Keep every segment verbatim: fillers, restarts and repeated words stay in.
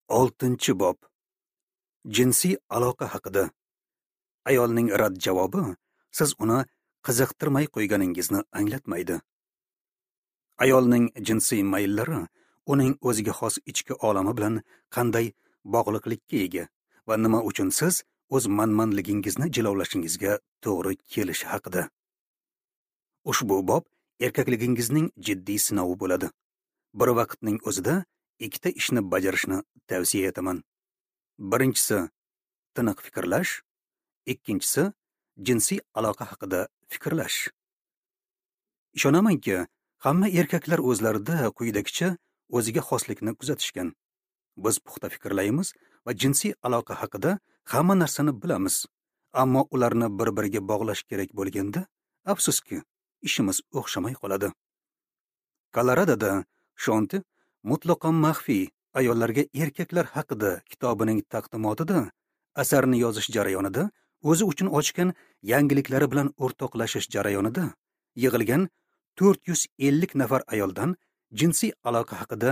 Oltinchi bob. Jinsiy aloqa haqida. Ayolning rad javobi siz uni qiziqtirmay qo'yganingizni anglatmaydi. Ayolning jinsiy mayllari uning o'ziga xos ichki olami bilan qanday bog'liqlikka ega va nima uchun siz o'z manmanligingizni jilovlashingizga to'g'ri kelishi haqida. Ushbu bob erkakligingizning jiddiy sinovi bo'ladi. Bir vaqtning o'zida ikkita ishni bajarishni tavsiya etaman. Birinchisi tiniq fikrlash, ikkinchisi jinsiy aloqa haqida fikrlash. Ishonamanki, hamma erkaklar o'zlarida quyidagicha o'ziga xoslikni kuzatishgan. Biz puxta fikrlaymiz va jinsiy aloqa haqida hamma narsani bilamiz, ammo ularni bir-biriga bog'lash kerak bo'lganda, afsuski, ishimiz o'xshamay qoladi. Koloradoda Shonti mutlaqo maxfiy ayollarga erkaklar haqida kitobining taqdimotida asarni yozish jarayonida o'zi uchun ochgan yangiliklari bilan o'rtoqlashish jarayonida yig'ilgan to'rt yuz ellik nafar ayoldan jinsiy aloqa haqida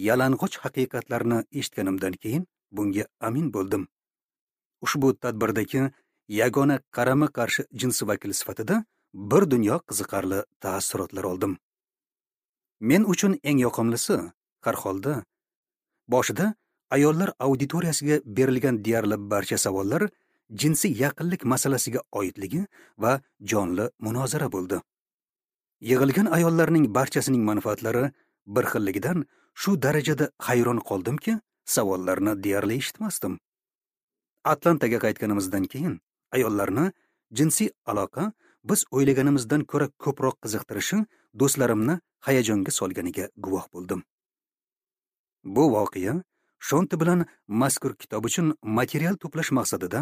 yalang'och haqiqatlarni eshitganimdan keyin bunga amin bo'ldim. Ushbu tadbirdagi yagona qarama-qarshi jins vakili sifatida bir dunyo qiziqarli taassurotlar oldim. Men uchun eng yoqimlisi, har holda, boshida ayollar auditoriyasiga berilgan deyarli barcha savollar jinsiy yaqinlik masalasiga oidligi va jonli munozara bo'ldi. Yig'ilgan ayollarning barchasining manfaatlari bir xilligidan shu darajada hayron qoldimki, savollarni deyarli eshitmasdim. Atlantaga qaytganimizdan keyin ayollarni jinsiy aloqa biz o'ylaganimizdan ko'ra ko'proq qiziqtirishi do'stlarimni hayajonga solganiga guvoh bo'ldim. Bu voqea Shonti bilan mazkur kitob uchun material to'plash maqsadida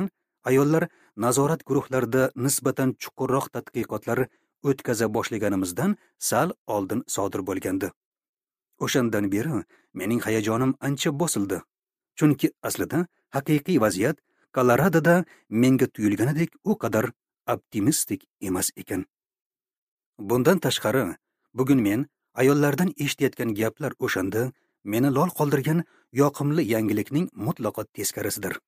ayollar nazorat guruhlarida nisbatan chuqurroq tadqiqotlar o'tkaza boshlaganimizdan sal oldin sodir bo'lgandi. O'shandan beri mening hayajonim ancha bosildi. Chunki aslida haqiqiy vaziyat Koloradoda menga tuyulganidek u qadar optimistik emas ekan. Bundan tashqari, bugun men ayollardan eshitayotgan gaplar o'shanda meni lol qoldirgan yoqimli yangilikning mutlaqo teskarisidir.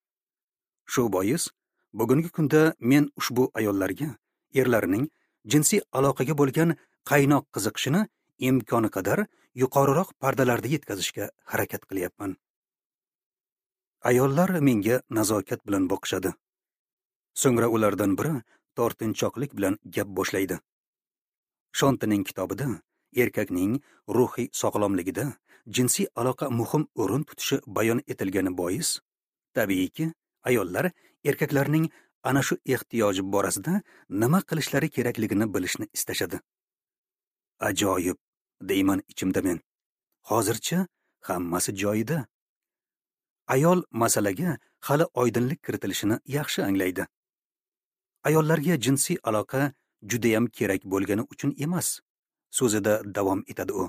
Shu bois, bugungi kunda men ushbu ayollarga erlarining jinsiy aloqaga bo'lgan qaynoq qiziqishini imkoni qadar yuqoriroq pardalarda yetkazishga harakat qilyapman. Ayollar menga nazokat bilan boqishadi. So'ngra ulardan biri tortinchoqlik bilan gap boshlaydi. Shontining kitobida erkakning ruhiy sog'lomligida jinsiy aloqa muhim o'rin tutishi bayon etilgani bois, tabiiyki, ayollar erkaklarning ana shu ehtiyoji borasida nima qilishlari kerakligini bilishni istashadi. Ajoyib, deyman ichimda men. Hozircha hammasi joyida. Ayol masalaga hali oydinlik kiritilishini yaxshi anglaydi. Ayollarga jinsiy aloqa judayam kerak bo'lgani uchun emas, so'zida davom etadi u.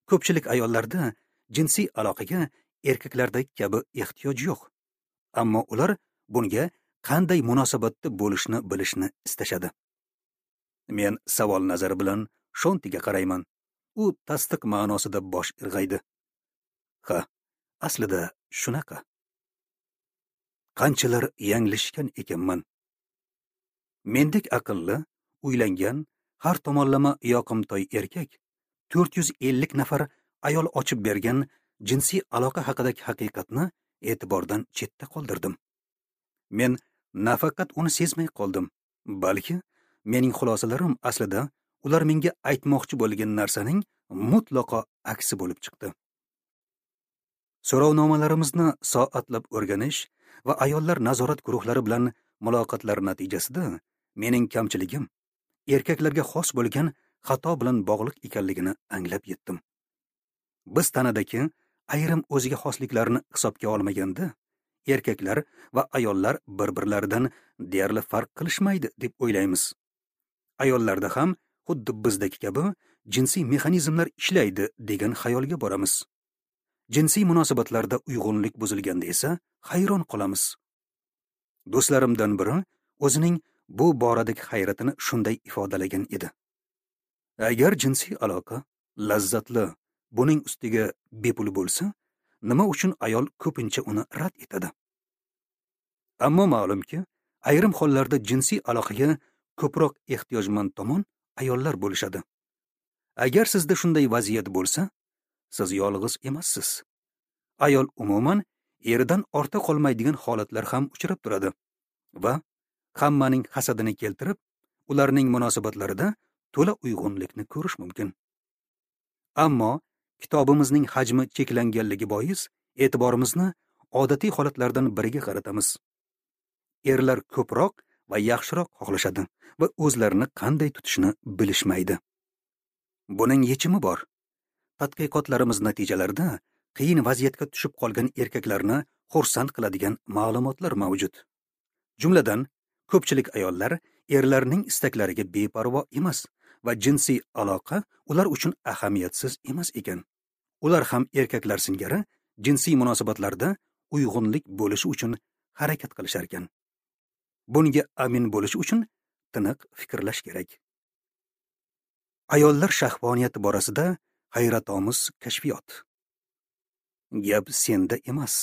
Ko'pchilik ayollarda jinsiy aloqaga erkaklardagi kabi ehtiyoj yo'q. Ammo ular bunga qanday munosabatda bo'lishni bilishni istashadi. Men savol nazari bilan Shontiga qarayman. U tasdiq ma'nosida bosh irg'aydi. Ha, aslida shunaqa. Qanchalar yanglishgan ekanman. Mendek aqlli, uylangan, har tomonlama yoqimtoy erkak to'rt yuz ellik nafar ayol ochib bergan jinsiy aloqa haqidagi haqiqatni e'tibordan chetda qoldirdim. Men nafaqat uni sezmay qoldim, balki mening xulosalarim aslida ular menga aytmoqchi bo'lgan narsaning mutlaqo aksi bo'lib chiqdi. So'rovnomalarimizni soatlab o'rganish va ayollar nazorat guruhlari bilan muloqotlar natijasida mening kamchiligim erkaklarga xos bo'lgan xato bilan bog'liq ekanligini anglab yetdim. Biz tanadagi ayrim o'ziga xosliklarni hisobga olmaganda, erkaklar va ayollar bir-birlaridan deyarli farq qilishmaydi deb o'ylaymiz. Ayollarda ham xuddi bizdagi kabi jinsiy mexanizmlar ishlaydi degan xayolga boramiz. Jinsiy munosabatlarda uyg'unlik buzilganda esa hayron qolamiz. Do'stlarimdan biri o'zining bu boradagi hayratini shunday ifodalagan edi. Agar jinsiy aloqa lazzatli, buning ustiga bepul bo'lsa, nima uchun ayol ko'pincha uni rad etadi? Ammo ma'lumki, ayrim hollarda jinsiy aloqaga ko'proq ehtiyojmand tomon ayollar bo'lishadi. Agar sizda shunday vaziyat bo'lsa, siz yolg'iz emassiz. Ayol umuman eridan orta qolmaydigan holatlar ham uchrab turadi va hammaning hasadini keltirib, ularning munosabatlarida to'la uyg'unlikni ko'rish mumkin. Ammo kitobimizning hajmi cheklanganligi bois e'tiborimizni odatiy holatlardan biriga qaratamiz. Erlar ko'proq va yaxshiroq xohlashadi va o'zlarini qanday tutishni bilishmaydi. Buning yechimi bor. Tadqiqotlarimiz natijalarida qiyin vaziyatga tushib qolgan erkaklarni xursand qiladigan ma'lumotlar mavjud. Jumladan, ko'pchilik ayollar erlarning istaklariga beparvo emas va jinsiy aloqa ular uchun ahamiyatsiz emas ekan. Ular ham erkaklar singari jinsiy munosabatlarda uyg'unlik bo'lishi uchun harakat qilishar ekan. Bunga amin bo'lish uchun tiniq fikrlash kerak. Ayollar shahvoniyati borasida hayratomuz kashfiyot. Gap senda emas.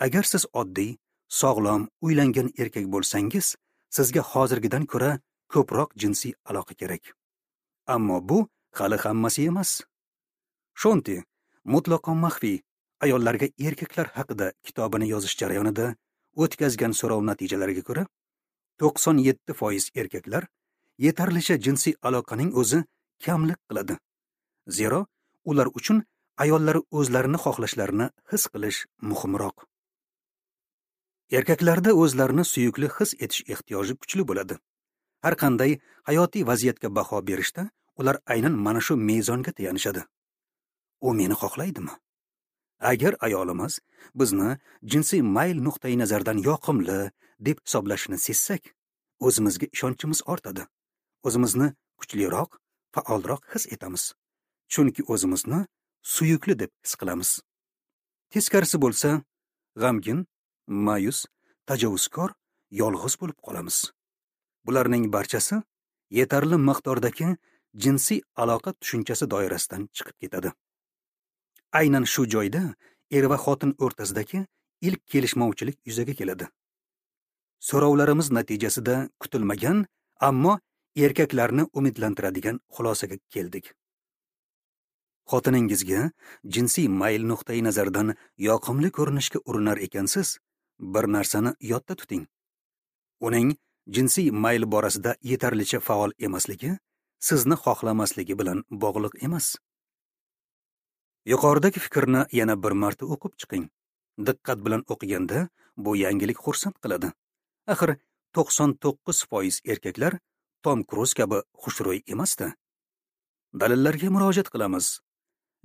Agar siz oddiy, sog'lom, uylangan erkak bo'lsangiz, sizga hozirgidan ko'ra ko'proq jinsiy aloqa kerak. Ammo bu hali hammasi emas. Shonti mutlaqo maxfiy ayollarga erkaklar haqida kitobini yozish jarayonida o'tkazgan so'rov natijalariga ko'ra, to'qson yetti foiz erkaklar yetarlicha jinsiy aloqaning o'zi kamlik qiladi. Zero ular uchun ayollar o'zlarini xohlashlarini his qilish muhimroq. Erkaklarda o'zlarini suyukli his etish ehtiyoji kuchli bo'ladi. Har qanday hayotiy vaziyatga baho berishda ular aynan mana shu mezonga tayanishadi. U meni xohlaydimi? Agar ayolimiz bizni jinsiy mayl nuqtai nazaridan yoqimli deb hisoblashini sezsak, o'zimizga ishonchimiz ortadi. O'zimizni kuchliroq, faolroq his etamiz. Chunki o'zimizni suyukli deb his qilamiz. Teskarisi bo'lsa, g'amgin, ma'yus, tajovuzkor, yolg'iz bo'lib qolamiz. Bularning barchasi yetarli miqdordagi jinsiy aloqa tushunchasi doirasidan chiqib ketadi. Aynan shu joyda er va xotin o'rtasidagi ilk kelishmovchilik yuzaga keladi. So'rovlarimiz natijasida kutilmagan, ammo erkaklarni umidlantiradigan xulosaga keldik. Xotiningizga jinsiy mayl nuqtai nazaridan yoqimli ko'rinishga urinar ekansiz, bir narsani yodda tuting. Uning jinsiy mayl borasida yetarlicha faol emasligi sizni xohlamasligi bilan bog'liq emas. Yuqoridagi fikrni yana bir marta o'qib chiqing. Diqqat bilan o'qiganda bu yangilik xursand qiladi. Axir to'qson to'qqiz foiz erkaklar Tom Kruz kabi xushro'y emasdi. Dalillarga murojaat qilamiz.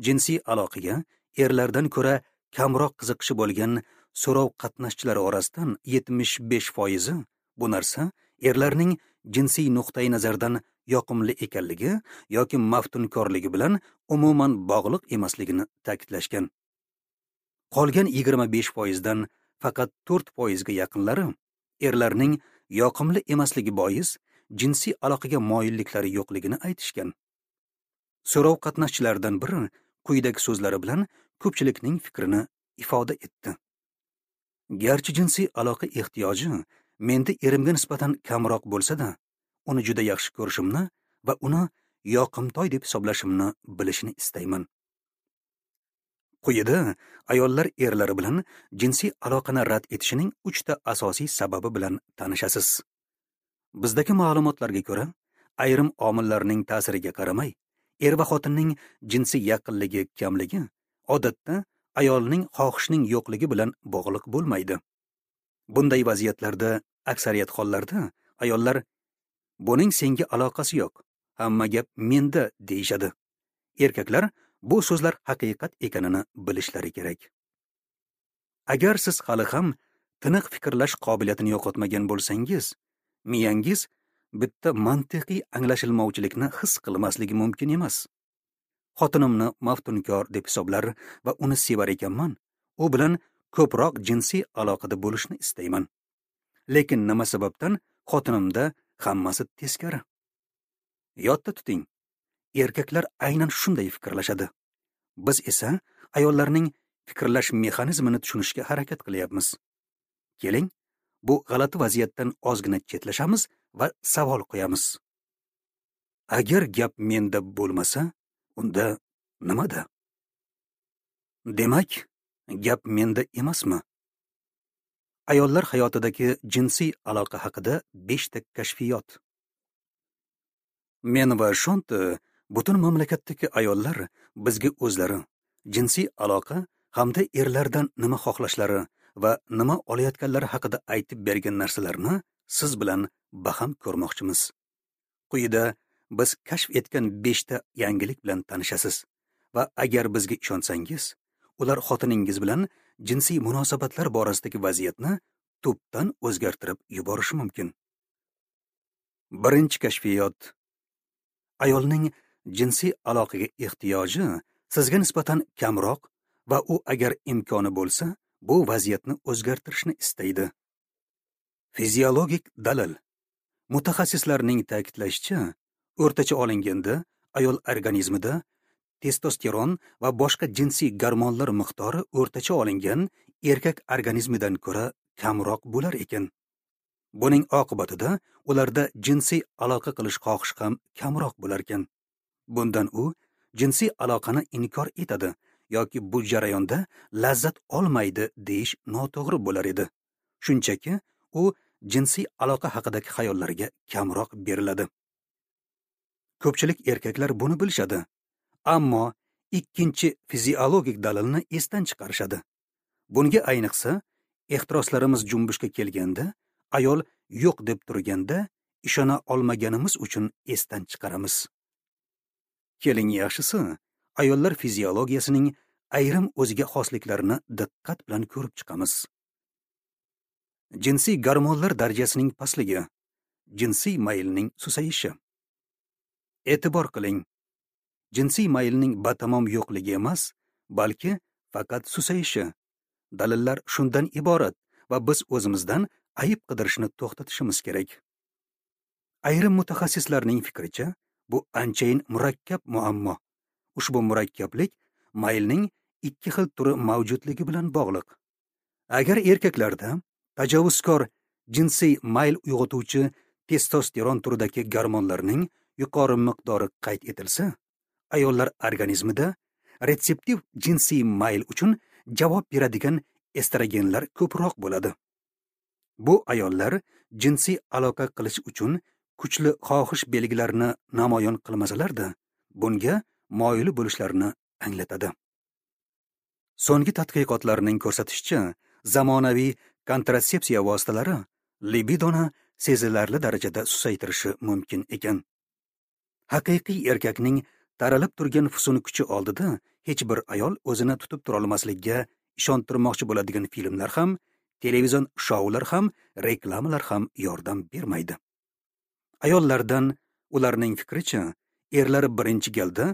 Jinsiy aloqaga erlardan ko'ra kamroq qiziqishi bo'lgan so'rov qatnashchilari orasidan yetmish besh foizi bu narsa erlarning jinsiy nuqtai nazardan yoqimli ekanligi yoki maftunkorligi bilan umuman bog'liq emasligini ta'kidlashgan. Qolgan yigirma besh foizdan faqat to'rt foizga yaqinlari erlarning yoqimli emasligi bois jinsiy aloqaga moyilliklari yo'qligini aytishgan. So'rov qatnashchilaridan biri quyidagi so'zlari bilan ko'pchilikning fikrini ifoda etdi. Garchi jinsiy aloqa ehtiyoji menda erimga nisbatan kamroq bo'lsa-da, uni juda yaxshi ko'rishimni va uni yoqimtoy deb hisoblashimni bilishini istayman. Quyida ayollar erlari bilan jinsiy aloqani rad etishining uchta asosiy sababi bilan tanishasiz. Bizdagi ma'lumotlarga ko'ra, ayrim omillarning ta'siriga qaramay, er va xotinning jinsiy yaqinligi kamligi odatda ayolning xohishining yo'qligi bilan bog'liq bo'lmaydi. Bunday vaziyatlarda aksariyat hollarda ayollar buning senga aloqasi yo'q, hamma gap menda deyishadi. Erkaklar bu so'zlar haqiqat ekanini bilishlari kerak. Agar siz hali ham tiniq fikrlash qobiliyatini yo'qotmagan bo'lsangiz, miyangiz bitta mantiqiy anglashilmovchilikni his qilmasligi mumkin emas. Xotinimni maftunkor deb hisoblar va uni sevar ekanman, u bilan ko'proq jinsiy aloqada bo'lishni istayman. Lekin nima sababdan xotinimda hammasi teskari? Yodda tuting, erkaklar aynan shunday fikrlashadi. Biz esa ayollarning fikrlash mexanizmini tushunishga harakat qilyapmiz. Keling, bu g'alati vaziyatdan ozgina chetlashamiz va savol qo'yamiz. Agar gap menda bo'lmasa, unda nimada? Demak, gap menda emasmi? Ayollar hayotidagi jinsiy aloqa haqida beshta kashfiyot. Men va Shonti butun mamlakatdagi ayollar bizga o'zlari jinsiy aloqa hamda erlardan nima xohlashlari va nima olayotganlari haqida aytib bergan narsalarni siz bilan baham ko'rmoqchimiz. Quyida biz kashf etgan beshta yangilik bilan tanishasiz va agar bizga ishonsangiz, ular xotiningiz bilan jinsiy munosabatlar borasidagi vaziyatni tubdan o'zgartirib yuborishi mumkin. Birinchi kashfiyot. Ayolning jinsiy aloqaga ehtiyoji sizga nisbatan kamroq va u agar imkoni bo'lsa, bu vaziyatni o'zgartirishni istaydi. Fiziologik dalil. Mutaxassislarning ta'kidlashicha, o'rtacha olinganda ayol organizmida testosteron va boshqa jinsiy gormonlar miqdori o'rtacha olingan erkak organizmidan ko'ra kamroq bo'lar ekan. Buning oqibatida ularda jinsiy aloqa qilish xohishi ham kamroq bo'lar ekan. Bundan u jinsiy aloqani inkor etadi yoki bu jarayonda lazzat olmaydi deyish noto'g'ri bo'lar edi. Shunchaki u jinsiy aloqa haqidagi xayollarga kamroq beriladi. Ko'pchilik erkaklar buni bilishadi, ammo ikkinchi fiziologik dalilni esdan chiqarishadi. Bunga ayniqsa ehtiroslarimiz junbushga kelganda, ayol yo'q deb turganda ishona olmaganimiz uchun esdan chiqaramiz. Keling, yaxshisi, ayollar fiziologiyasining ayrim o'ziga xosliklarini diqqat bilan ko'rib chiqamiz. Jinsiy gormonlar darajasining pastligi, jinsiy maylning susayishi. E'tibor qiling, jinsiy maylning batamom yo'qligi emas, balki faqat susayishi. Dalillar shundan iborat va biz o'zimizdan ayib qidirishni to'xtatishimiz kerak. Ayrim mutaxassislarning fikricha, bu anchayin murakkab muammo. Ushbu murakkablik maylning ikki xil turi mavjudligi bilan bog'liq. Agar erkaklarda tajovuzkor jinsiy mayl uyg'otuvchi testosteron turidagi gormonlarning yuqori miqdori qayd etilsa, ayollar organizmida retseptiv jinsiy mayl uchun javob beradigan estrogenlar ko'proq bo'ladi. Bu ayollar jinsiy aloqa qilish uchun kuchli xohish belgilarini namoyon qilmasalar-da, bunga moyil bo'lishlarini anglatadi. So'nggi tadqiqotlarning ko'rsatishicha, zamonaviy kontratsepsiya vositalari libidoni sezilarli darajada susaytirishi mumkin ekan. Haqiqiy erkakning taralib turgan fusun kuchi oldida hech bir ayol o'zini tutib tura olmasligiga ishontirmoqchi bo'ladigan filmlar ham, televizion shoular ham, reklamalar ham yordam bermaydi. Ayollardan ularning fikricha, erlari birinchi galda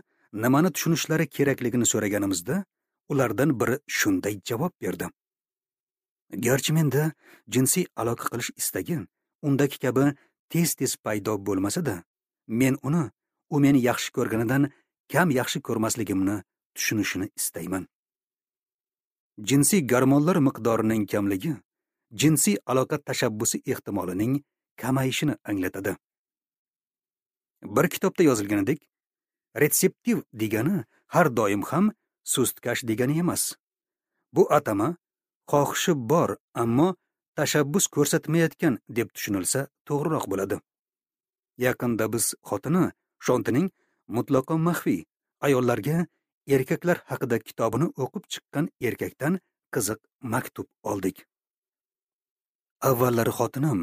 nimani tushunishlari kerakligini so'raganimizda, ulardan biri shunday javob berdi: Garchi menda jinsiy aloqa qilish istagi undagi kabi tez-tez paydo bo'lmasa-da, men uni u meni yaxshi ko'rganidan kam yaxshi ko'rmasligimni tushunishini istayman. Jinsiy gormonlar miqdorining kamligi jinsiy aloqa tashabbusi ehtimolining kamayishini anglatadi. Bir kitobda yozilganidek, retseptiv degani har doim ham sustkash degani emas. Bu atama xohishi bor, ammo tashabbus ko'rsatmayotgan deb tushunilsa to'g'riroq bo'ladi. Yaqinda biz xotini Shontining mutlaqo maxfiy ayollarga erkaklar haqida kitobini o'qib chiqqan erkakdan qiziq maktub oldik. Avvallari xotinim,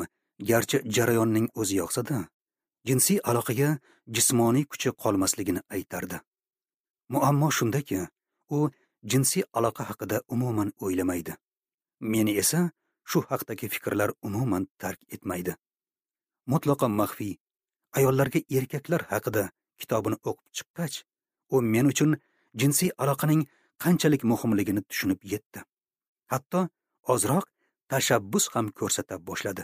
garchi jarayonning o'zi yoqsa-da, jinsiy aloqaga jismoniy kuchi qolmasligini aytardi. Muammo shundaki, u jinsiy aloqa haqida umuman o'ylamaydi. Meni esa shu haqdagi fikrlar umuman tark etmaydi. Mutlaqo maxfiy ayollarga erkaklar haqida kitobini o'qib chiqqach, u men uchun jinsiy aloqaning qanchalik muhimligini tushunib yetdi. Hatto ozroq tashabbus ham ko'rsata boshladi.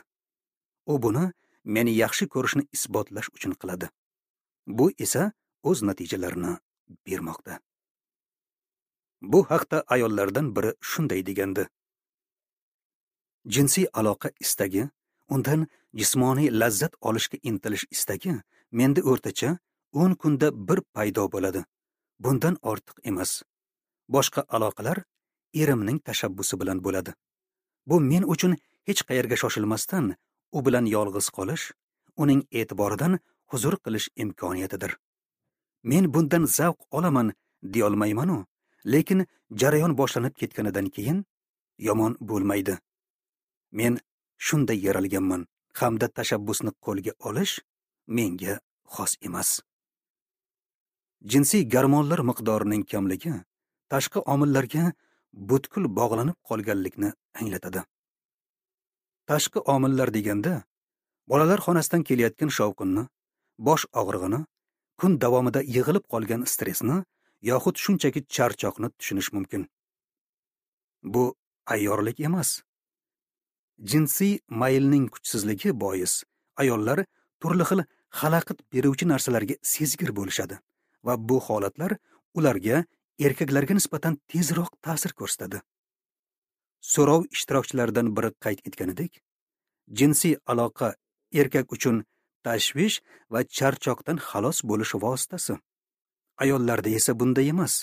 U buni meni yaxshi ko'rishni isbotlash uchun qiladi. Bu esa o'z natijalarini bermoqda. Bu haqda ayollardan biri shunday degandi: jinsiy aloqa istagi, undan jismoniy lazzat olishga intilish istagi menda o'rtacha o'n kunda bir paydo bo'ladi. Bundan ortiq emas. Boshqa aloqalar erimning tashabbusi bilan bo'ladi. Bu men uchun hech qayerga shoshilmasdan u bilan yolg'iz qolish, uning e'tiboridan huzur qilish imkoniyatidir. Men bundan zavq olaman deyolmayman-u, lekin jarayon boshlanib ketganidan keyin yomon bo'lmaydi. Men shunday yaralganman hamda tashabbusni qo'lga olish menga xos emas. Jinsiy gormonlar miqdorining kamligi tashqi omillarga butkul bog'lanib qolganlikni anglatadi. Tashqi omillar deganda bolalar xonasidan kelayotgan shovqinni, bosh og'rig'ini, kun davomida yig'ilib qolgan stressni yoxud shunchaki charchoqni tushunish mumkin. Bu ayyorlik emas. Jinsiy maylning kuchsizligi bois ayollar turli xil xalaqit beruvchi narsalarga sezgir bo'lishadi va bu holatlar ularga erkaklarga nisbatan tezroq ta'sir ko'rsatadi. So'rov ishtirokchilaridan biri qayd etganidek, jinsiy aloqa erkak uchun tashvish va charchoqdan xalos bo'lish vositasi. Ayollarda esa bunday emas.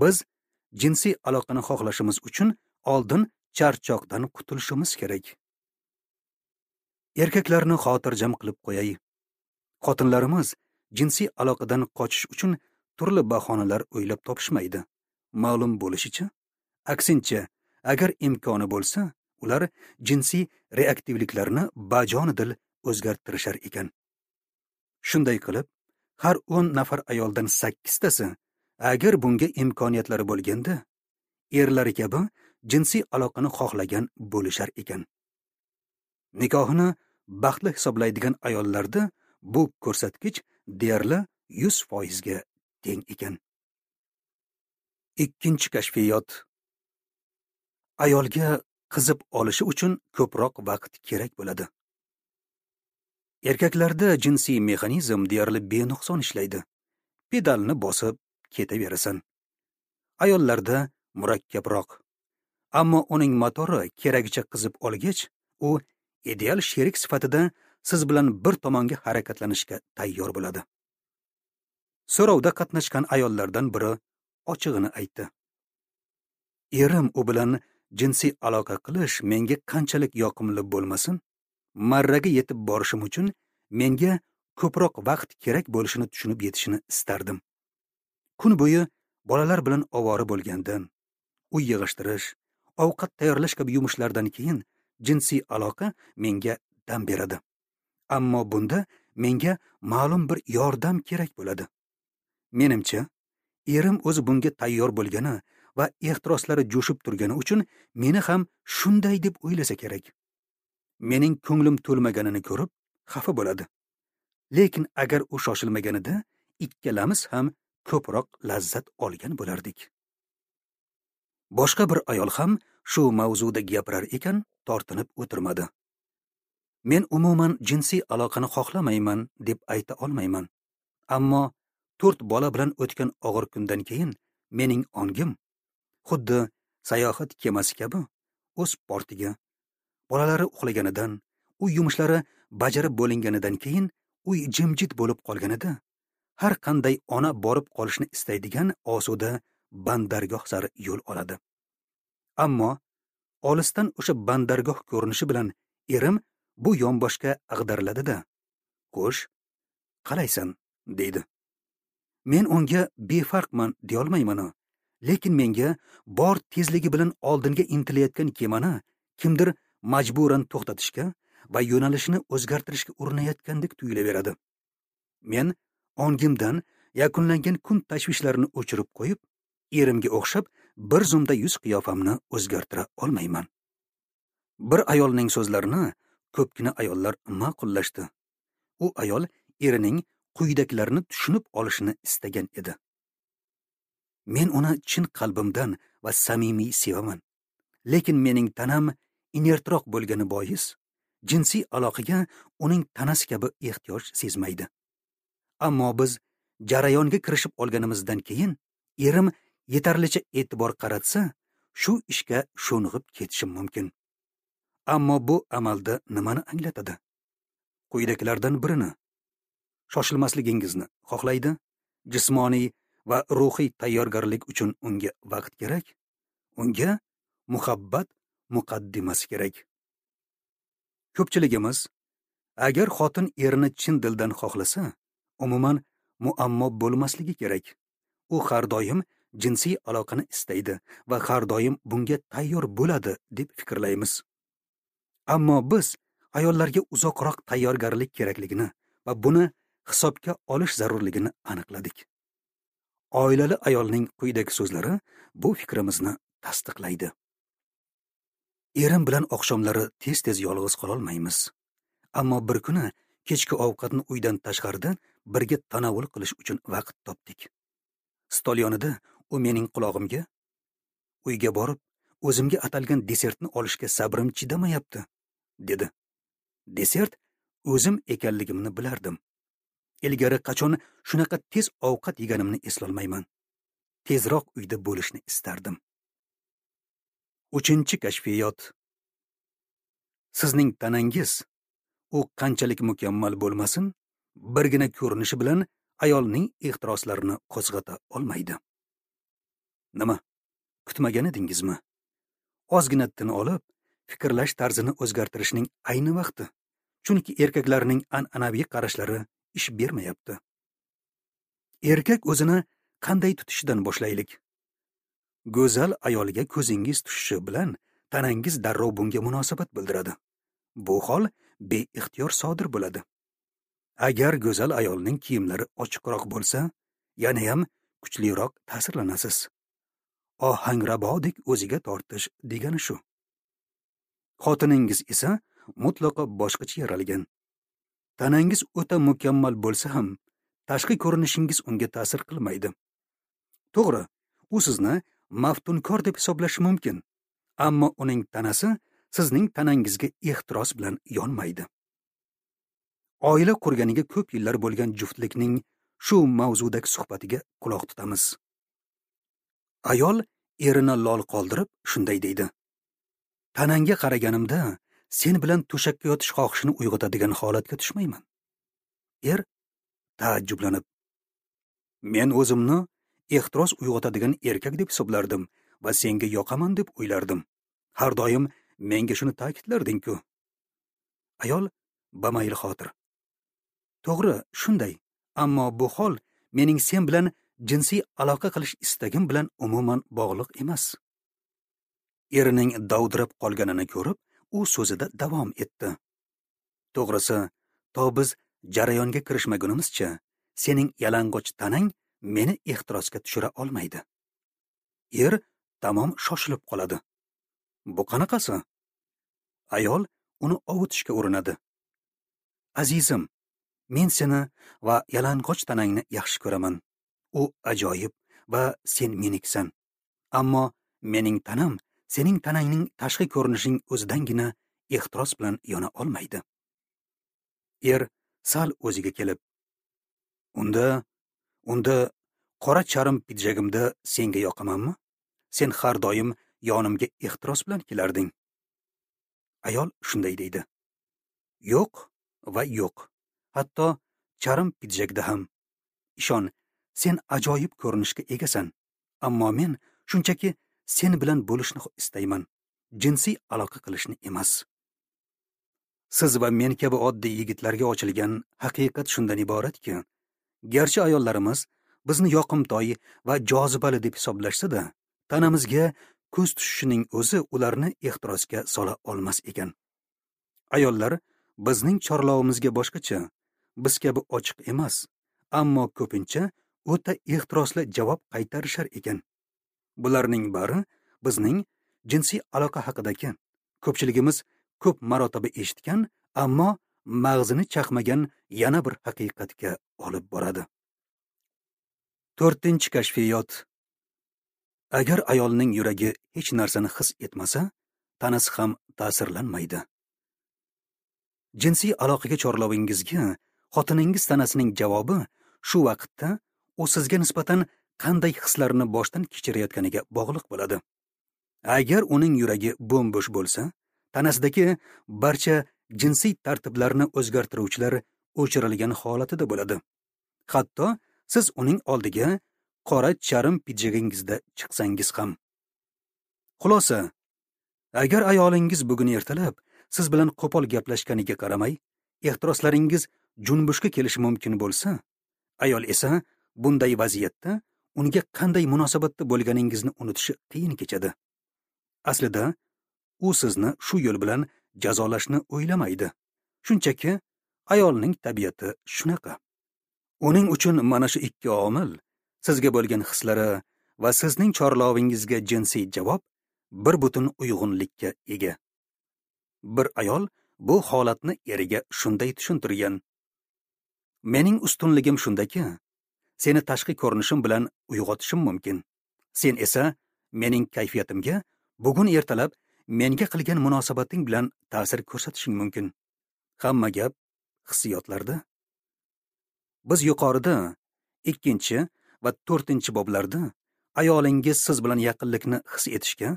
Biz jinsiy aloqani xohlashimiz uchun oldin charchoqdan qutulishimiz kerak. Erkaklarni xotirjam qilib qo'yay. Xotinlarimiz jinsiy aloqadan qochish uchun turli bahonalar o'ylab topishmaydi. Ma'lum bo'lishicha, aksincha, agar imkoni bo'lsa, ular jinsiy reaktivliklarni bajonidil o'zgartirishar ekan. Shunday qilib, har o'n nafar ayoldan sakkiztasi agar bunga imkoniyatlari bo'lganda, erlari kabi jinsiy aloqani xohlagan bo'lishar ekan. Nikohini baxtli hisoblaydigan ayollarda bu ko'rsatkich deyarli yuz foizga teng ekan. Ikkinchi kashfiyot. Ayolga qizib olishi uchun ko'proq vaqt kerak bo'ladi. Erkaklarda jinsiy mexanizm deyarli benuqson ishlaydi. Pedalni bosib ketaverasan. Ayollarda murakkabroq. Ammo uning motori keragicha qizib olgach, u ideal sherik sifatida siz bilan bir tomonga harakatlanishga tayyor bo'ladi. So'rovda qatnashgan ayollardan biri ochig'ini aytdi. Erim u bilan jinsiy aloqa qilish menga qanchalik yoqimli bo'lmasin, marraga yetib borishim uchun menga ko'proq vaqt kerak bo'lishini tushunib yetishini istardim. Kun bo'yi bolalar bilan ovora bo'lgandan, uy yig'ishtirish, ovqat tayyorlash kabi yumushlardan keyin jinsiy aloqa menga dam beradi. Ammo bunda menga ma'lum bir yordam kerak bo'ladi. Menimcha, erim o'zi bunga tayyor bo'lgani va ehtiroslari jo'shib turgani uchun meni ham shunday deb o'ylasa kerak. Mening ko'nglim to'lmaganini ko'rib xafa bo'ladi. Lekin agar u shoshilmaganida ikkalamiz ham ko'proq lazzat olgan bo'lardik. Boshqa bir ayol ham shu mavzuda gapirar ekan, tortinib o'tirmadi. Men umuman jinsiy aloqani xohlamayman deb ayta olmayman. Ammo to'rt bola bilan o'tgan og'ir kundan keyin mening ongim xuddi sayohat kemasi kabi o'z portiga, bolalari uxlaganidan, uy yumushlari bajarib bo'linganidan keyin uy jimjit bo'lib qolganida har qanday ona borib qolishni istaydigan osuda bandargoh sari yo'l oladi. Ammo olisdan o'sha bandargoh ko'rinishi bilan erim bu yonboshga ag'dariladi-da, "Xo'sh, qalaysan?" deydi. Men unga befarqman deyolmayman, lekin menga bor tezligi bilan oldinga intilayotgan kemani kimdir majburan to'xtatishga va yo'nalishini o'zgartirishga urinayotgandek tuyulaveradi. Men ongimdan yakunlangan kun tashvishlarini o'chirib qo'yib, erimga o'xshab bir zumda yuz qiyofamni o'zgartira olmayman. Bir ayolning so'zlarini ko'pgina ayollar ma'qullashdi. U ayol erining quyidagilarni tushunib olishini istagan edi. Men uni chin qalbimdan va samimiy sevaman. Lekin mening tanam inertroq bo'lgani bois, jinsiy aloqaga uning tanasi kabi ehtiyoj sezmaydi. Ammo biz jarayonga kirishib olganimizdan keyin erim yetarlicha e'tibor qaratsa, shu ishga sho'ng'ib ketishim mumkin. Ammo bu amalda nimani anglatadi? Quyidagilardan birini: shoshilmasligingizni xohlaydi, jismoniy va ruhiy tayyorgarlik uchun unga vaqt kerak, unga muhabbat muqaddimasi kerak. Ko'pchiligimiz agar xotin erini chin dildan xohlasa, umuman muammo bo'lmasligi kerak. U har doim jinsiy aloqani istaydi va har doim bunga tayyor bo'ladi deb fikrlaymiz. Ammo biz ayollarga uzoqroq tayyorgarlik kerakligini va buni hisobga olish zarurligini aniqladik. Oilali ayolning quyidagi so'zlari bu fikrimizni tasdiqlaydi. Erim bilan oqshomlari tez-tez yolg'iz qololmaymiz. Ammo bir kuni kechki ovqatni uydan tashqarida birga tanovul qilish uchun vaqt topdik. Stol yonida u mening qulog'imga, uyga borib, o'zimga atalgan desertni olishga sabrim chidamayapti, dedi. Desert o'zim ekanligimni bilardim. Ilgari qachon shunaqa tez ovqat yeganimni eslolmayman. Tezroq uyda bo'lishni istardim. Uchinchi kashfiyot. Sizning tanangiz, u qanchalik mukammal bo'lmasin, birgina ko'rinishi bilan ayolning ehtiroslarini qo'zg'ata olmaydi. Nima? Kutmagan edingizmi? Ozgina tin olib, fikrlash tarzini o'zgartirishning ayni vaqti. Chunki erkaklarning an'anaviy qarashlari ish bermayapti. Erkak o'zini qanday tutishidan boshlaylik. Go'zal ayolga ko'zingiz tushishi bilan tanangiz darrov bunga munosabat bildiradi. Bu hol beixtiyor sodir bo'ladi. Agar go'zal ayolning kiyimlari ochiqroq bo'lsa, yana ham kuchliroq ta'sirlanasiz. Ohangrabodek o'ziga tortish degani shu. Xotiningiz esa mutlaqo boshqacha yaralgan. Tanangiz o'ta mukammal bo'lsa ham, tashqi ko'rinishingiz unga ta'sir qilmaydi. To'g'ri, u sizni maftunkor deb hisoblashi mumkin, ammo uning tanasi sizning tanangizga ehtiros bilan yonmaydi. Oila qurganiga ko'p yillar bo'lgan juftlikning shu mavzudagi suhbatiga quloq tutamiz. Ayol erini lol qoldirib shunday deydi: Tanangga qaraganimda sen bilan to'shakka yotish xohishini uyg'otadigan holatga tushmayman. Er taajjublanib, men o'zimni ehtiros uyg'otadigan erkak deb hisoblardim va senga yoqaman deb o'ylardim. Har doim menga shuni ta'kidlarding-ku. Ayol bamayl xotir: To'g'ri, shunday, ammo bu hol mening sen bilan jinsiy aloqa qilish istagim bilan umuman bog'liq emas. Erining dovdirab qolganini ko'rib, u so'zida davom etdi. To'g'risi, to biz jarayonga kirishmagunimizcha sening yalang'och tanang meni ehtirosga tushira olmaydi. Er tamom shoshilib qoladi. Bu qanaqasi? Ayol uni ovutishga urinadi. Azizim, men seni va yalang'och tanangni yaxshi ko'raman. U ajoyib va sen meniksan. Ammo mening tanam sening tanangning tashqi ko'rinishining o'zidangina ehtiros bilan yona olmaydi. Er sal o'ziga kelib, unda unda qora charm pidjagimda senga yoqamanmi? Sen har doim yonimga ehtiros bilan kelarding. Ayol shunday deydi: Yo'q va yo'q. Hatto charm pidjagda ham. Ishon, sen ajoyib ko'rinishga egasan, ammo men shunchaki sen bilan bo'lishni istayman, jinsiy aloqa qilishni emas. Siz va men kabi oddiy yigitlarga ochilgan haqiqat shundan iboratki, garchi ayollarimiz bizni yoqimtoy va jozibali deb hisoblashsa-da, tanamizga ko'z tushishining o'zi ularni ehtirosga sola olmas ekan. Ayollar bizning chorlovimizga boshqacha, biz kabi ochiq emas, ammo ko'pincha o'ta ehtirosli javob qaytarishar ekan. Bularning bari bizning jinsiy aloqa haqidagi ko'pchiligimiz ko'p marotaba eshitgan, ammo mag'zini chaqmagan yana bir haqiqatga olib boradi. To'rtinchi kashfiyot. Agar ayolning yuragi hech narsani his etmasa, tanasi ham ta'sirlanmaydi. Jinsiy aloqaga chorlovingizga xotiningiz tanasining javobi shu vaqtda u sizga nisbatan qanday hislarni boshdan kechirayotganiga bog'liq bo'ladi. Agar uning yuragi bo'm-bo'sh bo'lsa, tanasidagi barcha jinsiy tartiblarni o'zgartiruvchilar o'chirilgan holatida bo'ladi. Hatto siz uning oldiga qora charm pidjagingizda chiqsangiz ham. Xulosa, agar ayolingiz bugun ertalab siz bilan qo'pol gaplashganiga qaramay, ehtiroslaringiz junbushga kelishi mumkin bo'lsa, ayol esa bunday vaziyatda unga qanday munosabatda bo'lganingizni unutishi qiyin kechadi. Aslida u sizni shu yo'l bilan jazolashni o'ylamaydi. Shunchaki ayolning tabiati shunaqa. Uning uchun mana shu ikki omil, sizga bo'lgan hislari va sizning chorlovingizga jinsiy javob bir butun uyg'unlikka ega. Bir ayol bu holatni eriga shunday tushuntirgan: mening ustunligim shundaki, seni tashqi ko'rinishim bilan uyg'otishim mumkin. Sen esa mening kayfiyatimga bugun ertalab menga qilgan munosabating bilan ta'sir ko'rsatishing mumkin. Hamma gap hissiyotlarda. Biz yuqorida ikkinchi va to'rtinchi boblarda ayolingiz siz bilan yaqinlikni his etishga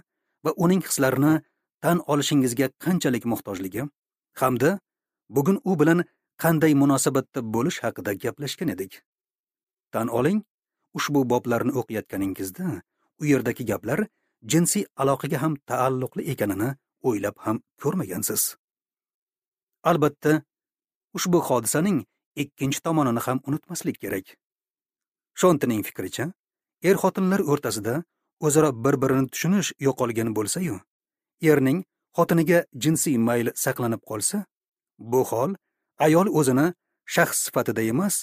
va uning hislarini tan olishingizga qanchalik muhtojligi hamda bugun u bilan qanday munosabatda bo'lish haqida gaplashgan edik. Tan oling, ushbu boblarni o'qiyotganingizda u yerdagi gaplar jinsiy aloqaga ham taalluqli ekanini o'ylab ham ko'rmagansiz. Albatta, ushbu hodisaning ikkinchi tomonini ham unutmaslik kerak. Shontining fikricha, er-xotinlar o'rtasida o'zaro bir-birini tushunish yo'qolgan bo'lsa-yu, erning xotiniga jinsiy mayl saqlanib qolsa, bu hol ayol o'zini shaxs sifatida emas,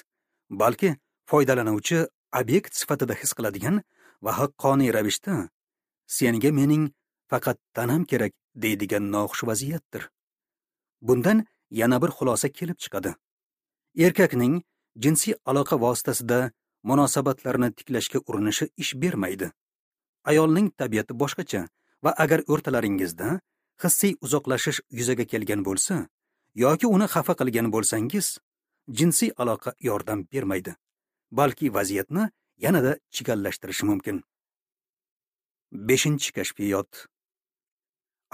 balki foydalanuvchi obyekt sifatida his qiladigan va haqqoniy ravishda senga mening faqat tanam kerak deydigan noxush vaziyatdir. Bundan yana bir xulosa kelib chiqadi. Erkakning jinsiy aloqa vositasida munosabatlarni tiklashga urinishi ish bermaydi. Ayolning tabiati boshqacha va agar o'rtalaringizda hissiy uzoqlashish yuzaga kelgan bo'lsa yoki uni xafa qilgan bo'lsangiz, jinsiy aloqa yordam bermaydi, balki vaziyatni yanada chigallashtirishi mumkin. Beshinchi kashfiyot.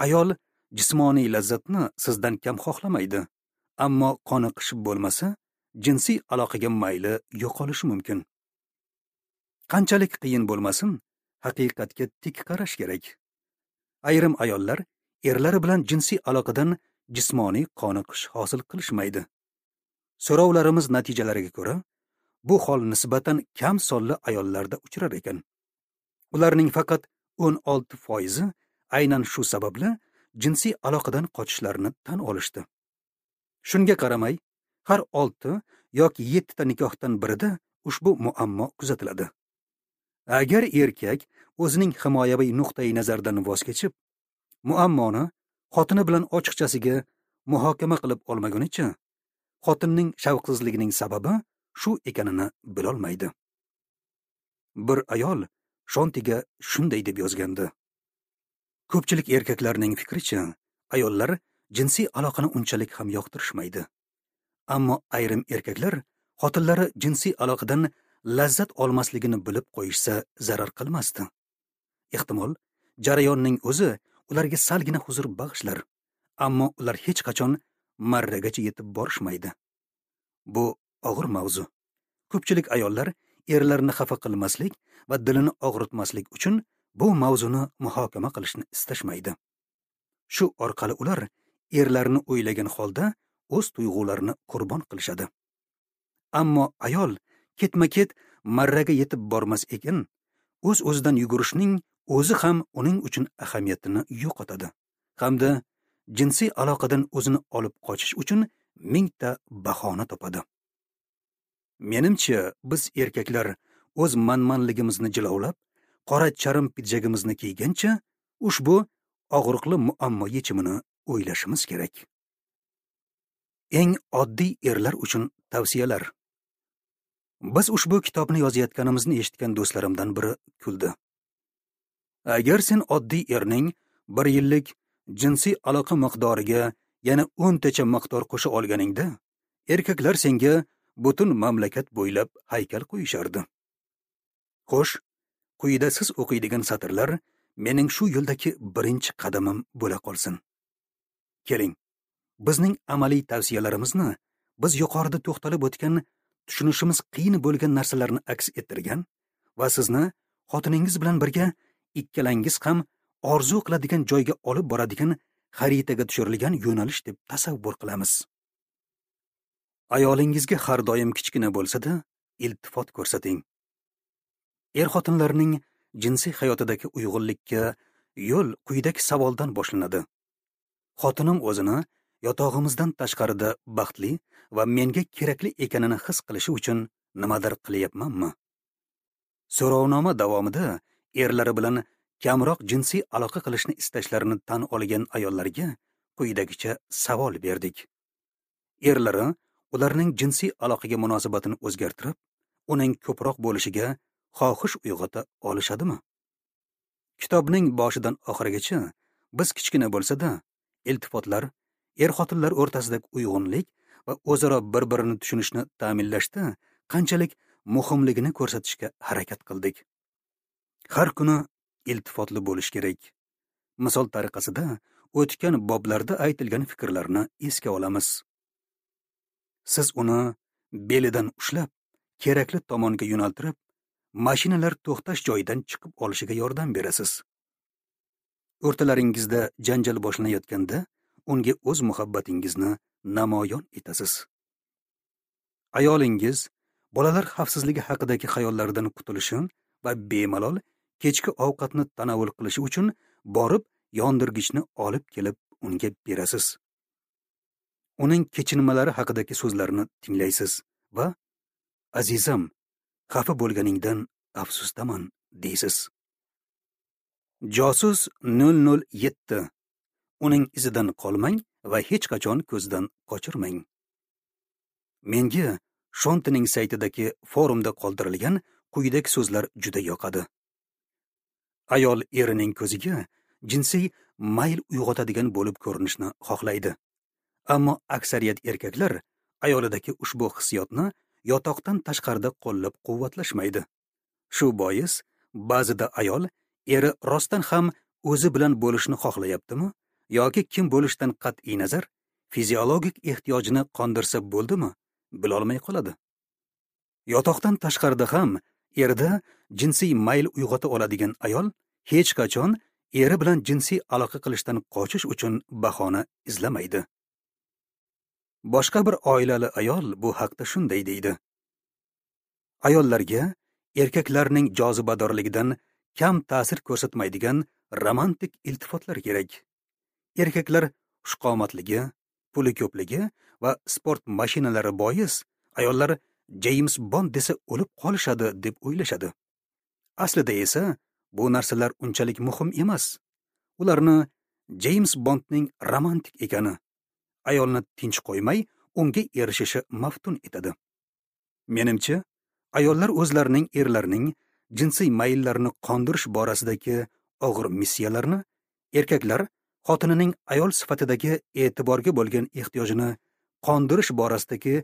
Ayol jismoniy lazzatni sizdan kam xohlamaydi, ammo qoniqish bo'lmasa, jinsiy aloqaga mayli yo'qolishi mumkin. Qanchalik qiyin bo'lmasin, haqiqatga tik qarash kerak. Ayrim ayollar erlari bilan jinsiy aloqadan jismoniy qoniqish hosil qilishmaydi. So'rovlarimiz natijalariga ko'ra, bu hol nisbatan kam sonli ayollarda uchrar ekan. Ularning faqat o'n olti foizi aynan shu sababli jinsiy aloqadan qochishlarini tan olishdi. Shunga qaramay, har olti yoki yettita nikohdan birida ushbu muammo kuzatiladi. Agar erkak o'zining himoyaviy nuqtai nazaridan voz kechib, muammoni xotini bilan ochiqchasiga muhokama qilib olmagunicha, xotinning shavqsizligining sababi shu ekanini bilolmaydi. Bir ayol Shontiga shunday deb yozgandi: ko'pchilik erkaklarning fikricha, ayollar jinsiy aloqani unchalik ham yoqtirishmaydi. Ammo ayrim erkaklar xotinlari jinsiy aloqadan lazzat olmasligini bilib qo'yishsa zarar qilmasdi. Ehtimol, jarayonning o'zi ularga salgina huzur bag'ishlar, ammo ular hech qachon marragacha yetib borishmaydi. Bu og'ir mavzu. Ko'pchilik ayollar erlarini xafa qilmaslik va dilini og'ritmaslik uchun bu mavzuni muhokama qilishni istashmaydi. Shu orqali ular erlarini o'ylagan holda o'z tuyg'ularini qurbon qilishadi. Ammo ayol ketma-ket marraga yetib bormas ekan, o'z-o'zidan yugurishning o'zi ham uning uchun ahamiyatini yo'qotadi hamda jinsiy aloqadan o'zini olib qochish uchun mingta bahona topadi. Menimcha, biz erkaklar o'z manmanligimizni jilovlab, qora charm pidjagimizni kiygancha ushbu og'riqli muammo yechimini o'ylashimiz kerak. Eng oddiy erlar uchun tavsiyalar. Biz ushbu kitobni yozayotganimizni eshitgan do'stlarimdan biri kuldi. Agar sen oddiy erning bir yillik jinsiy aloqa miqdoriga yana o'ntacha miqdor qo'sha olganingda, erkaklar senga butun mamlakat bo'ylab haykal qo'yishardi. Xo'sh, quyida siz o'qiydigan satrlar mening shu yo'ldagi birinchi qadamim bo'la qolsin. Keling, bizning amaliy tavsiyalarimizni biz yuqorida to'xtalib o'tgan tushunishimiz qiyin bo'lgan narsalarni aks ettirgan va sizni xotiningiz bilan birga ikkalangiz ham orzu qiladigan joyga olib boradigan xaritaga tushirilgan yo'nalish deb tasavvur qilamiz. Ayolingizga har doim kichkina bo'lsa-da, iltifot ko'rsating. Er-xotinlarning jinsiy hayotidagi uyg'unlikka yo'l quyidagi savoldan boshlanadi. Xotinim o'zini yotog'imizdan tashqarida baxtli va menga kerakli ekanini his qilishi uchun nimadir qilyapmanmi? So'rovnoma davomida erlari bilan kamroq jinsiy aloqa qilishni istashlarini tan olgan ayollarga quyidagicha savol berdik. Erlari ularning jinsiy aloqaga munosabatini o'zgartirib, uning ko'proq bo'lishiga xohish uyg'ota olishadimi? Kitobning boshidan oxirigacha biz kichkina bo'lsa-da, iltifotlar er-xotinlar o'rtasidagi uyg'unlik va o'zaro bir-birini tushunishni ta'minlashda qanchalik muhimligini ko'rsatishga harakat qildik. Har kuni iltifotli bo'lish kerak. Misol tariqasida o'tgan boblarda aytilgan fikrlarni esga olamiz. Siz uni belidan ushlab, kerakli tomonga yo'naltirib, mashinalar to'xtash joyidan chiqib olishiga yordam berasiz. O'rtalaringizda janjal boshlanayotganda unga o'z muhabbatingizni namoyon etasiz. Ayolingiz bolalar xavfsizligi haqidagi xayollardan qutulishi va bemalol kechki ovqatni tanovul qilishi uchun borib yondirgichni olib kelib unga berasiz. Uning kechinmalari haqidagi so'zlarini tinglaysiz va azizim, xafa bo'lganingdan afsusdaman deysiz. Josus nol nol yetti. Uning izidan qolmang va hech qachon ko'zdan qochirmang. Menga Shontining saytidagi forumda qoldirilgan quyidagi so'zlar juda yoqadi. Ayol erining ko'ziga jinsiy mayl uyg'otadigan bo'lib ko'rinishni xohlaydi. Ammo aksariyat erkaklar ayolidagi ushbu hissiyotni yotoqdan tashqarida qo'llab-quvvatlashmaydi. Shu bois ba'zida ayol eri rostdan ham o'zi bilan bo'lishni xohlayaptimi yoki kim bo'lishdan qat'iy nazar fiziologik ehtiyojini qondirsa bo'ldimi, bilolmay qoladi. Yotoqdan tashqarida ham erda jinsiy mayl uyg'ota oladigan ayol hech qachon eri bilan jinsiy aloqa qilishdan qochish uchun bahona izlamaydi. Boshqa bir oilali ayol bu haqda shunday deydi: Ayollarga erkaklarning jozibadorligidan kam ta'sir ko'rsatmaydigan romantik iltifotlar kerak. Erkaklar xushqomatligi, puli ko'pligi va sport mashinalari bois ayollar James Bond desa o'lib qolishadi deb o'ylashadi. Aslida esa bu narsalar unchalik muhim emas. Ularni James Bondning romantik ekani, ayolni tinch qo'ymay unga erishishi maftun etadi. Menimcha, ayollar o'zlarining erlarining jinsiy mayllarini qondirish borasidagi og'ir missiyalarni, erkaklar xotinining ayol sifatidagi e'tiborga bo'lgan ehtiyojini qondirish borasidagi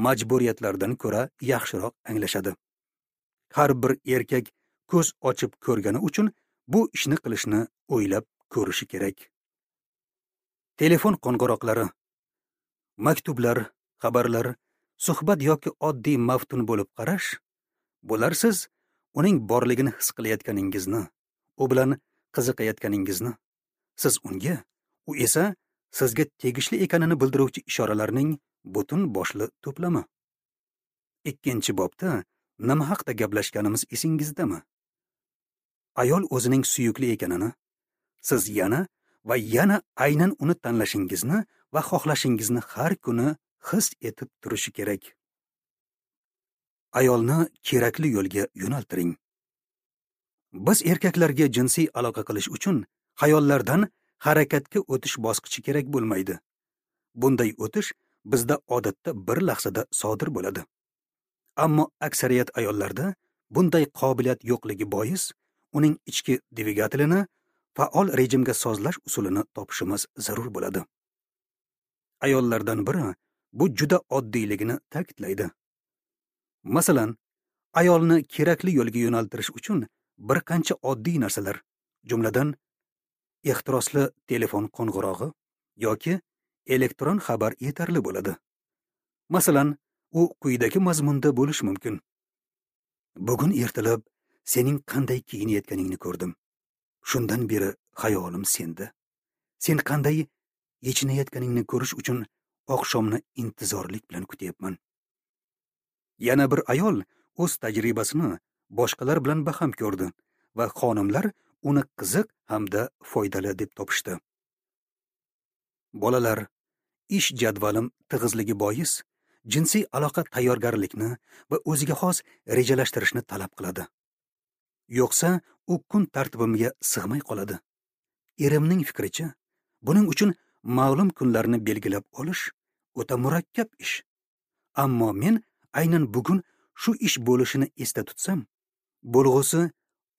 majburiyatlardan ko'ra yaxshiroq anglashadi. Har bir erkak ko'z ochib ko'rgani uchun bu ishni qilishni o'ylab ko'rishi kerak. Telefon qo'ng'iroqlari, maktublar, xabarlar, suhbat yoki oddiy maftun bo'lib qarash, bular siz uning borligini his qilayotganingizni, u bilan qiziqayotganingizni, siz unga, u esa sizga tegishli ekanini bildiruvchi ishoralarning butun boshli to'plami. Ikkinchi bobda nima haqda gaplashganimiz esingizdami? Ayol o'zining suyukli ekanini, siz yana va yana aynan uni tanlashingizni va xohlashingizni har kuni his etib turishi kerak. Ayolni kerakli yo'lga yo'naltiring. Biz erkaklarga jinsiy aloqa qilish uchun xayollardan harakatga o'tish bosqichi kerak bo'lmaydi. Bunday o'tish bizda odatda bir lahzada sodir bo'ladi. Ammo aksariyat ayollarda bunday qobiliyat yo'qligi bois uning ichki dvigatelini faol rejimga sozlash usulini topishimiz zarur bo'ladi. Ayollardan biri bu juda oddiyligini ta'kidlaydi. Masalan, Ayolni kerakli yo'lga yo'naltirish uchun bir qancha oddiy narsalar, jumladan ehtirosli telefon qo'ng'irog'i yoki elektron xabar yetarli bo'ladi. Masalan, u quyidagi mazmunda bo'lishi mumkin. Bugun ertalab sening qanday kiyinayotganingni ko'rdim. Shundan beri xayolim senda. Sen qanday yechinayotganingni ko'rish uchun oqshomni intizorlik bilan kutyapman. Yana bir ayol o'z tajribasini boshqalar bilan baham ko'rdi va xonimlar uni qiziq hamda foydali deb topishdi. Bolalar, ish jadvalim tig'izligi bois jinsiy aloqa tayyorgarlikni va o'ziga xos rejalashtirishni talab qiladi. Yo'qsa u kun tartibimga sig'may qoladi. Erimning fikricha, buning uchun ma'lum kunlarni belgilab olish o'ta murakkab ish. Ammo men aynan bugun shu ish bo'lishini esda tutsam, bo'lg'usi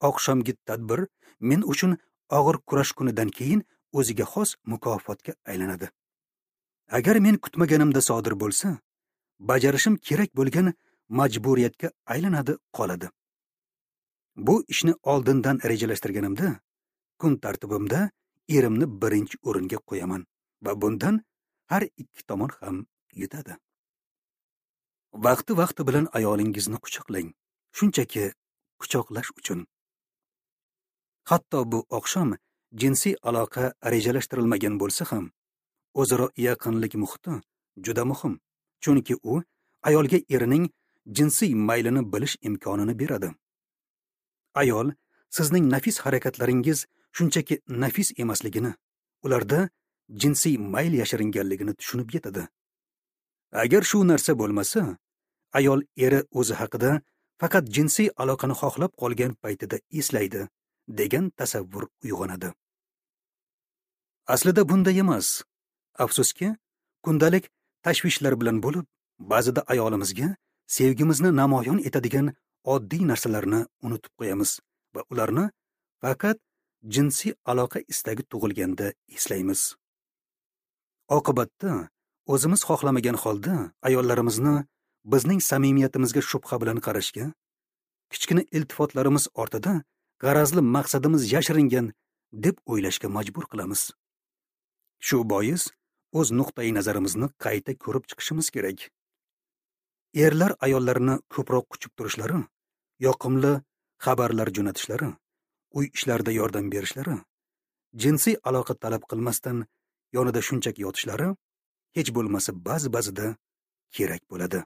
oqshomgi tadbir men uchun og'ir kurash kunidan keyin o'ziga xos mukofotga aylanadi. Agar men kutmaganimda sodir bo'lsa, bajarishim kerak bo'lgan majburiyatga aylanadi qoladi. Bu ishni oldindan rejalashtirganimda, kun tartibimda erimni birinchi o'ringa qo'yaman va bundan har ikki tomon ham yutadi. Vaqti-vaqti bilan ayolingizni quchoqlang, shunchaki quchoqlash uchun. Hatto bu oqshom jinsiy aloqa rejalashtirilmagan bo'lsa ham, o'zaro yaqinlik muhiti juda muhim, chunki u ayolga erining jinsiy maylini bilish imkonini beradi. Ayol sizning nafis harakatlaringiz shunchaki nafis emasligini, ularda jinsiy mayl yashiringanligini tushunib yetadi. Agar shu narsa bo'lmasa, ayol eri o'zi haqida faqat jinsiy aloqani xohlab qolgan paytida eslaydi degan tasavvur uyg'onadi. Aslida bunday emas. Afsuski, kundalik tashvishlar bilan bo'lib, ba'zida ayolimizga sevgimizni namoyon etadigan oddiy narsalarni unutib qo'yamiz va ularni faqat jinsiy aloqa istagi tug'ilganda eslaymiz. Oqibatda o'zimiz xohlamagan holda ayollarimizni bizning samimiyatimizga shubha bilan qarashga, kichkina iltifotlarimiz ortida g'arazli maqsadimiz yashiringan deb o'ylashga majbur qilamiz. Shu bois o'z nuqtai nazarimizni qayta ko'rib chiqishimiz kerak. Erlar ayollarni ko'proq quchib turishlari, yoqimli xabarlar jo'natishlari, uy ishlarida yordam berishlari, jinsiy aloqa talab qilmasdan yonida shunchaki yotishlari hech bo'lmasa ba'zi-ba'zida kerak bo'ladi.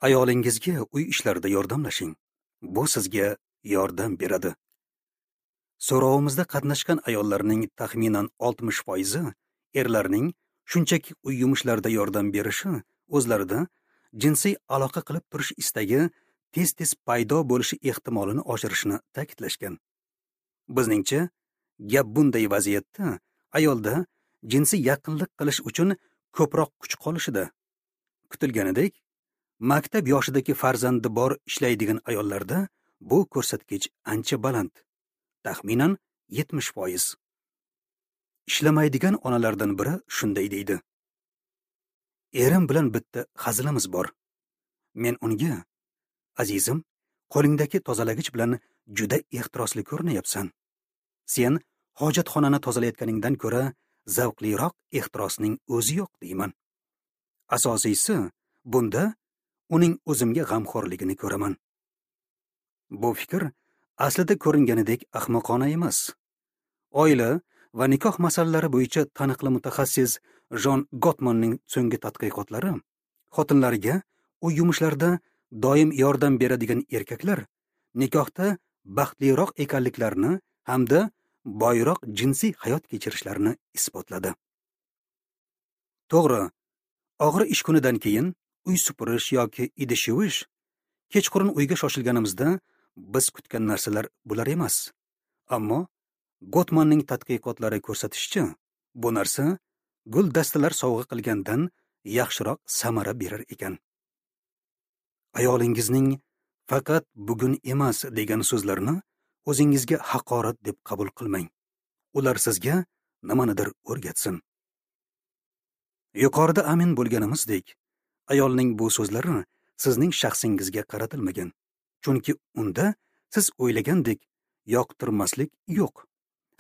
Ayolingizga uy ishlarida yordamlashing. Bu sizga yordam beradi. So'rovimizda qatnashgan ayollarning taxminan oltmish foizi erlarning shunchaki uy yumushlarida yordam berishi o'zlarida jinsiy aloqa qilib turish istagi tez-tez paydo bo'lishi ehtimolini oshirishini ta'kidlashgan. Bizningcha, gap bunday vaziyatda ayolda jinsiy yaqinlik qilish uchun ko'proq kuch qolishida. Kutilganidek, maktab yoshidagi farzandi bor ishlaydigan ayollarda bu ko'rsatkich ancha baland, taxminan yetmish foiz. Ishlamaydigan onalardan biri shunday deydi: Erim bilan bitta hazilimiz bor. Men unga: azizim, qo'lingdagi tozalagich bilan juda ehtirosli ko'rinyapsan. Sen hojatxonani tozalayotganingdan ko'ra zavqliroq ehtirosning o'zi yo'q, deyman. Asosiysi, bunda uning o'zimga g'amxo'rligini ko'raman. Bu fikr aslida ko'ringanidek ahmoqona emas. Oila va nikoh masalalari bo'yicha taniqli mutaxassis Jon Gottmanning so'nggi tadqiqotlari xotinlarga uy yumushlarida doim yordam beradigan erkaklar nikohda baxtliroq ekanliklarini hamda boyroq jinsiy hayot kechirishlarini isbotladi. To'g'ri, og'ir ish kunidan keyin uy supurish yoki idish yuvish, kechqurun uyga shoshilganimizda biz kutgan narsalar bular emas. Ammo Gottmanning tadqiqotlari ko'rsatishicha, bu narsa gul dastalar sovg'a qilgandan yaxshiroq samara berar ekan. Ayolingizning faqat bugun emas degan so'zlarini o'zingizga haqorat deb qabul qilmang. Ular sizga nimanidir o'rgatsin. Yuqorida amin bo'lganimizdek, ayolning bu so'zlari sizning shaxsingizga qaratilmagan. Chunki unda siz o'ylagandek yoqtirmaslik yo'q.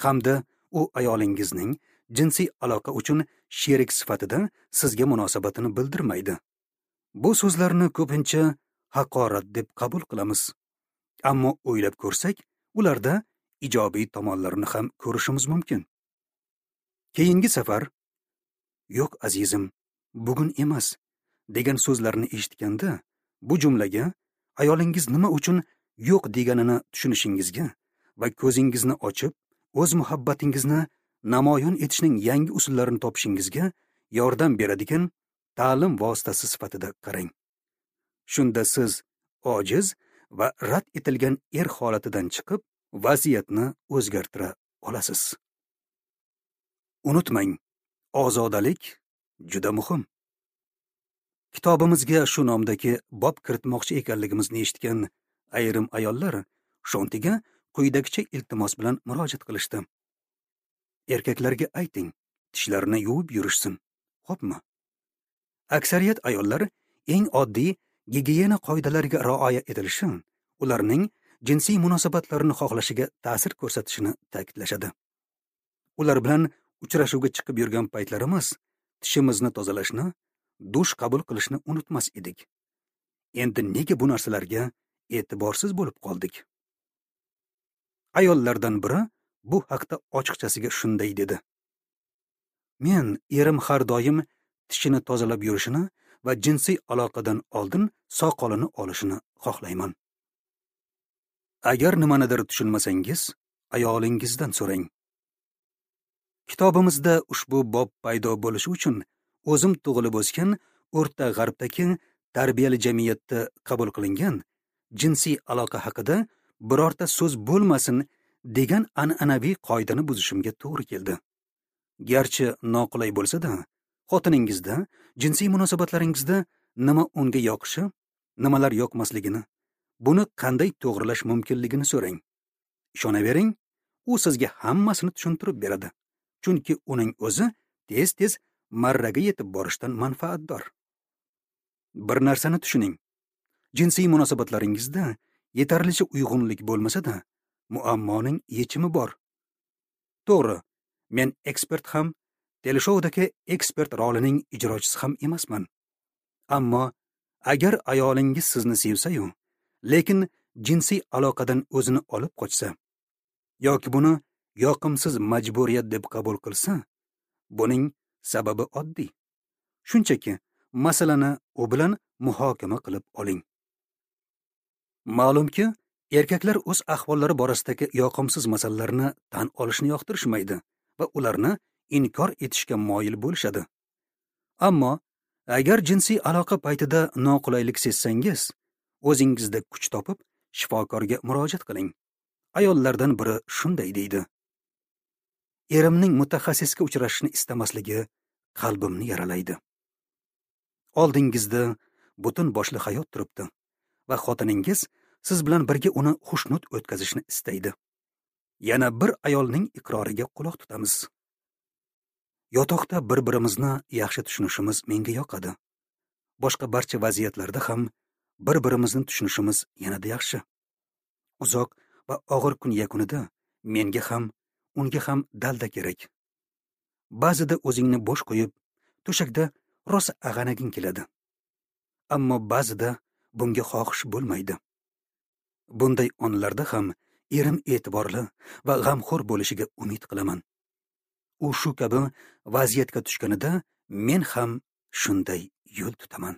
Hamda u ayolingizning jinsiy aloqa uchun sherik sifatida sizga munosabatini bildirmaydi. Bu so'zlarni ko'pincha haqorat deb qabul qilamiz. Ammo o'ylab ko'rsak, ularda ijobiy tomonlarini ham ko'rishimiz mumkin. Keyingi safar "Yo'q azizim, bugun emas" degan so'zlarni eshitganda, bu jumlaga ayolingiz nima uchun yo'q deganini tushunishingizga va ko'zingizni ochib, o'z muhabbatingizni namoyon etishning yangi usullarini topishingizga yordam beradigan ta'lim vositasi sifatida qarang. Shunda siz ojiz va rad etilgan er holatidan chiqib, vaziyatni o'zgartira olasiz. Unutmang, ozodalik juda muhim. Kitobimizga shu nomdagi bob kiritmoqchi ekanligimizni eshitgan ayrim ayollar Shontiga quyidagicha iltimos bilan murojaat qilishdi. Erkaklarga ayting, tishlarini yuvib yurishsin, xo'pmi? Aksariyat ayollar eng oddiy gigiyena qoidalariga rioya etilishi ularning jinsiy munosabatlarini xohlashiga ta'sir ko'rsatishini ta'kidlashadi. Ular bilan uchrashuvga chiqib yurgan paytlarimiz tishimizni tozalashni, dush qabul qilishni unutmas edik. Endi nega bu narsalarga e'tiborsiz bo'lib qoldik? Ayollardan biri bu haqda ochiqchasiga shunday dedi: Men erim har doim tishini tozalab yurishini va jinsiy aloqadan oldin soqolini olishini xohlayman. Agar nimanidir tushunmasangiz, ayolingizdan so'rang. Kitobimizda ushbu bob paydo bo'lishi uchun o'zim tug'ilib o'sgan O'rta G'arbdagi tarbiyali jamiyatda qabul qilingan jinsiy aloqa haqida birorta so'z bo'lmasin degan an'anaviy qoidani buzishimga to'g'ri keldi. Garchi noqulay bo'lsa-da, xotiningizda, jinsiy munosabatlaringizda nima unga yoqishi, nimalar yoqmasligini, buni qanday to'g'rilash mumkinligini so'rang. Ishonavering, u sizga hammasini tushuntirib beradi. Chunki uning o'zi tez-tez marraga yetib borishdan manfaatdor. Bir narsani tushuning. Jinsiy munosabatlaringizda yetarlicha uyg'unlik bo'lmasa-da, muammoning yechimi bor. To'g'ri, men ekspert ham, teleshoudagi ekspert rolining ijrochisi ham emasman. Ammo agar ayolingiz sizni sevsa-yu, lekin jinsiy aloqadan o'zini olib qochsa yoki buni yoqimsiz majburiyat deb qabul qilsa, buning sababi oddiy. Shunchaki masalani u bilan muhokama qilib oling. Ma'lumki, erkaklar o'z ahvollari borasidagi yoqimsiz masalalarni tan olishni yoqtirishmaydi va ularni inkor etishga moyil bo'lishadi. Ammo agar jinsiy aloqa paytida noqulaylik sezsangiz, o'zingizda kuch topib, shifokorga murojaat qiling. Ayollardan biri shunday deydi: Erimning mutaxassisga uchrashishni istamasligi qalbimni yaralaydi. Oldingizda butun boshli hayot turibdi va xotiningiz siz bilan birga uni xushnud o'tkazishni istaydi. Yana bir ayolning iqroriga quloq tutamiz. Yotoqda bir-birimizni yaxshi tushunishimiz menga yoqadi. Boshqa barcha vaziyatlarda ham bir-birimizni tushunishimiz yanada yaxshi. Uzoq va og'ir kun yakunida menga ham, unga ham dalda kerak. Ba'zida o'zingni bo'sh qo'yib, to'shakda rosa ag'anaging keladi. Ammo ba'zida bunga xohish bo'lmaydi. Bunday onlarda ham erim e'tiborli va g'amxo'r bo'lishiga umid qilaman. U shu kabi vaziyatga tushganida men ham shunday yo'l tutaman.